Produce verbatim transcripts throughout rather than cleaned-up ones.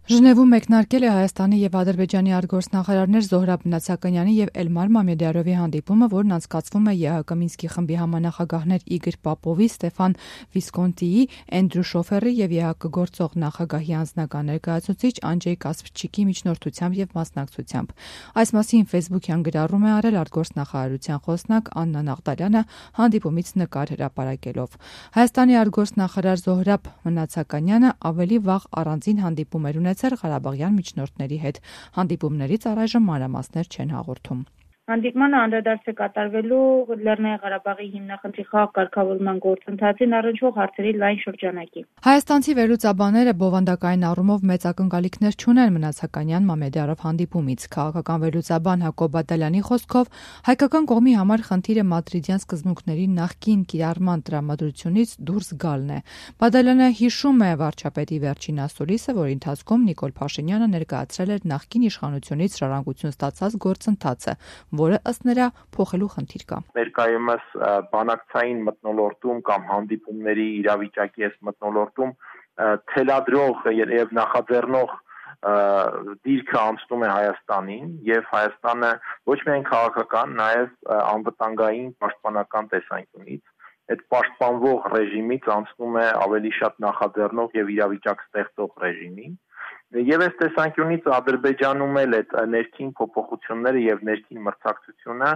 Ժնևում մեկնարկել է Հայաստանի և Ադրբեջանի արտգործնախարարներ Զոհրաբ Մնացականյանի և Էլմար Մամեդյարովի հանդիպումը, որն անցկացվում է ԵԱՀԿ Մինսկի խմբի համանախագահներ Իգոր Պապովի, Ստեֆան Վիսկոնտիի, Էնդրյու Շոֆերի և ԵԱՀԿ գործող նախագահի անձնական ներկայացուցիչ Անջեյ Կասպրչիկի միջնորդությամբ և մասնակցությամբ։ Այս մասին ֆեյսբուքյան գրառում է արել արտգործնախարարության խոսնակ Աննա Նաղդարյանը հանդիպումից նկար հրապարակելով։ Հայաստանի արտգործնախարար Զոհրաբ Մնացականյանը ավելի վաղ առանձին հանդիպում էր ունեցել Ղարաբաղյան միջնորդների հետ։ Հանդիպումներից առայժմ մանրամասներ չեն հաղորդում։ Հանդիպմանը անդրադարձ է կատարվելու Լեռնային Ղարաբաղի հիմնախնդրի խաղաղ կարգավորման գործընթացին առնչվող հարցերի լայն շրջանակի։ Հայաստանցի վերլուծաբանները բովանդակային առումով մեծ ակնկալիքներ չունեն Մնացականյան-Մամեդյարով հանդիպումից։ Քաղաքական վերլուծաբան Հակոբ Բադալյանի խոսքով հայկական կողմի համար խնդիրը մադրիդյան սկզբունքների նախկին կիրառման տրամադրությունից դուրս գալն է։ Բադալյանը հիշում է վարչապետի վերջին ասուլիսը, որի ընթացքում Նիկոլ Փաշինյանը ներկայացրել էր նախկին իշխանությունից ժառանգություն ստացած գործընթացը, որը ըստ նրա փոխելու խնդիր կա։ Ներկայումս բանակցային մթնոլորտում կամ հանդիպումների իրավիճակի այս մթնոլորտում թելադրող եւ նախաձեռնող դիրքը անցնում է Հայաստանին եւ Հայաստանը ոչ միայն քաղաքական, նաեւ անվտանգային պաշտպանական տեսանկյունից այդ պաշտպանվող ռեժիմից անցնում է ավելի շատ նախաձեռնող եւ իրավիճակ ստեղծող ռեժիմի։ Եվ այս տեսանկյունից Ադրբեջանում էլ այդ ներքին փոփոխությունները եւ ներքին մրցակցությունը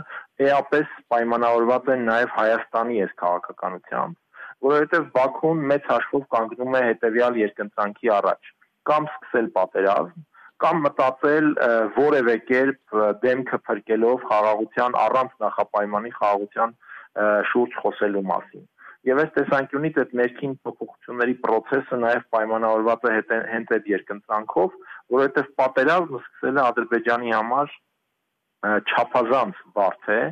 էապես պայմանավորված են նաեւ Հայաստանի այս քաղաքականությամբ, որովհետեւ Բաքուն մեծ հաշվով կանգնում է հետեւյալ երկընտրանքի առաջ. կամ սկսել պատերազմ, կամ մտածել որևէ կերպ դեմքը փրկելով խաղաղության առանց նախապայմանի խաղաղության շուրջ խոսելու մասին։ Եվ այս տեսանկյունից այդ ներքին փոփոխությունների process-ը նաև պայմանավորված է հենց այդ երկընտրանքով, որովհետև պատերազմը սկսելը Ադրբեջանի համար չափազանց բարդ է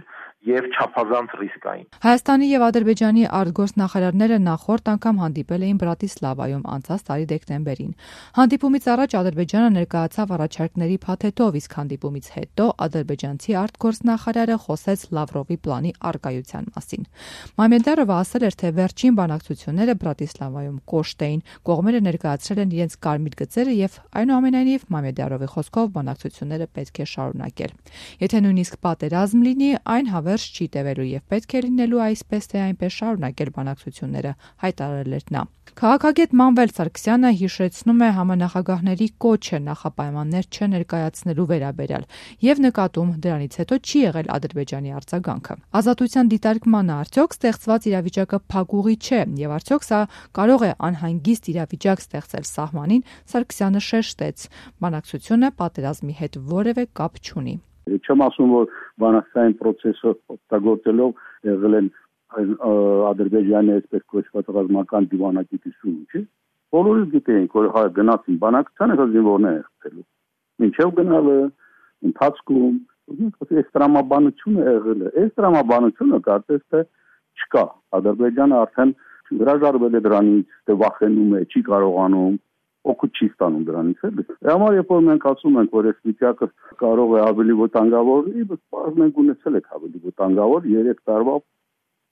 եւ չափազանց ռիսկային։ Հայաստանի եւ Ադրբեջանի արտգործնախարարները նախորդ անգամ հանդիպել էին Բրատիսլավայում անցած տարի դեկտեմբերին։ Հանդիպումից առաջ Ադրբեջանը ներկայացավ առաջարկների փաթեթով, իսկ հանդիպումից հետո ադրբեջանցի արտգործնախարարը խոսեց Լավրովի պլանի առկայության մասին։ Մամեդյարովը ասել էր, թե վերջին բանակցությունները Բրատիսլավայում կոշտ էին, կողմերը ներկայացրել են իրենց կարմիր գծերը եւ այնուամենայնիվ Մամեդյարովի խոսքով բանակցությունները պետք է շարունակել։ Եթե նույնիսկ պատերազմ լինի, այն հավերժ չի տևելու եւ պետք է լինելու այսպես թե այնպես շարունակել բանակցությունները, հայտարարել էր նա։ Քաղաքագետ Մանվել Սարգսյանը հիշեցնում է համանախագահների կոչը նախապայմաններ չներկայացնելու վերաբերյալ եւ նկատում դրանից հետո չի եղել Ադրբեջանի արձագանքը։ Ազատության դիտարկմանը արդյոք ստեղծված իրավիճակը փակուղի չէ եւ արդյոք սա կարող է անհանգիստ իրավիճակ ստեղծել սահմանին, Սարգսյանը շեշտեց. բանակցությունը պատերազմի հետ որևէ կապ չունի։ Չեմ ասում, որ բանակցային process-ը օգտագործելով եղել են Ադրբեջանի այսպես կոչված ռազմական դիվանագիտությունը, չէ՞։ Բոլորը գիտեին, որ հայ գնացին բանակցությանը զինվորներ խփելու։ Մինչև գնալը ընթացքում այս տրամաբանությունը եղել է։ Այս տրամաբանությունը կարծես թե չկա։ Ադրբեջանը արդեն հրաժարվել է դրանից, թե վախենում է, չի կարողանում օգուտ չի ստանում դրանից էլի։ Համար երբ որ մենք ասում ենք, որ այս վիճակը կարող է ավելի վտանգավոր լինի, բայց մենք ունեցել ենք ավելի վտանգավոր երեք տարվա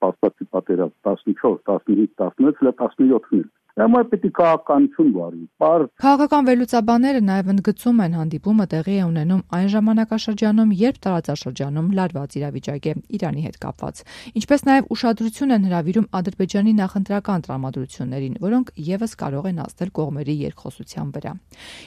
փաստացի պատերազմ տասնչորս, տասնհինգ, տասնվեց, տասնյոթ։ Համար պետք է քաղաքականություն վարի։ Քաղաքական վերլուծաբանները նաև ընդգծում են հանդիպումը տեղի է ունենում այն ժամանակաշրջանում, երբ տարածաշրջանում լարված իրավիճակ է Իրանի հետ կապված, ինչպես նաև ուշադրություն են հրավիրում Ադրբեջանի նախընտրական տրամադրություններին, որոնք եւս կարող են ազդել կողմերի երկխոսության վրա։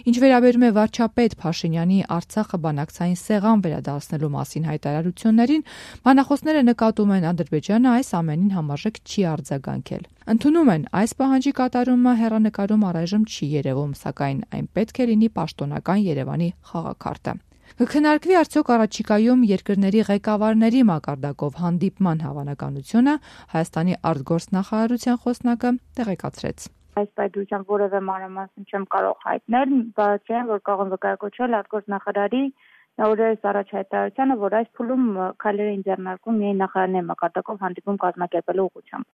Ինչ վերաբերում է վարչապետ Փաշինյանի Արցախը բանակցային սեղան վերադարձնելու մասին հայտարարություններին, բանախոսները նկատում են Ադրբեջանը այս ամենին համարժեք չի արձագանքել։ Ընդունում են այս պահանջի կատարումը հեռանկարում առայժմ չի երևում, սակայն այն պետք է լինի պաշտոնական Երևանի խաղաքարտը։ Կքննարկվի արդյոք առաջիկայում երկրների ղեկավարների մակարդակով հանդիպման հավանականությունը, Հայաստանի արտգործնախարարության խոսնակը տեղեկացրեց։ Այս պայմանությամբ որևէ մանրամասն չեմ կարող հայտնել, բայց այն որ կարող եմ վկայակոչել արտգործնախարարի օրերս առաջ հայտարարությանը, որ այս փուլում քայլեր են ձեռնարկում միայն նախարարների մակարդակով հանդիպում կազմակերպելու ուղղությամբ։